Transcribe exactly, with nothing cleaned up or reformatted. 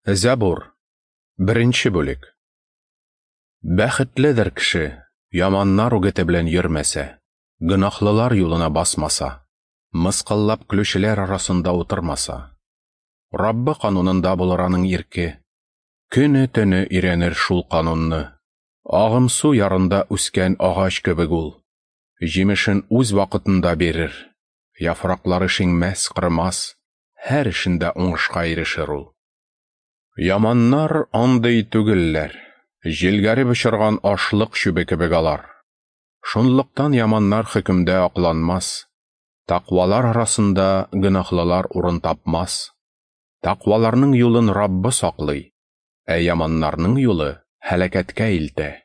Зәбур, беренче бүлек. Бәхетледер кеше, яманнар үгете белән йөрмәсә, гөнаһлылар юлына басмаса, мыскыллап көлүчеләр арасында утырмаса. Раббы канунында булыр аның ирке. Көне-төне өйрәнер шул канунны. Агым су ярында үскән агач кебек ул. Җимешен үз вакытында бирер. Яфраклары шиңмәс, кырмас, һәр эшендә уңышка ирешер ул. Яманнар андый түгелләр, җилгәреп очырган ашлык чүбе кебек алар. Шунлыктан яманнар хөкемдә акланмас, тәкъвалар арасында гөнаһлылар урын тапмас. Тәкъваларның юлын Раббы саклый, ә яманнарның юлы һәлакәткә илтә.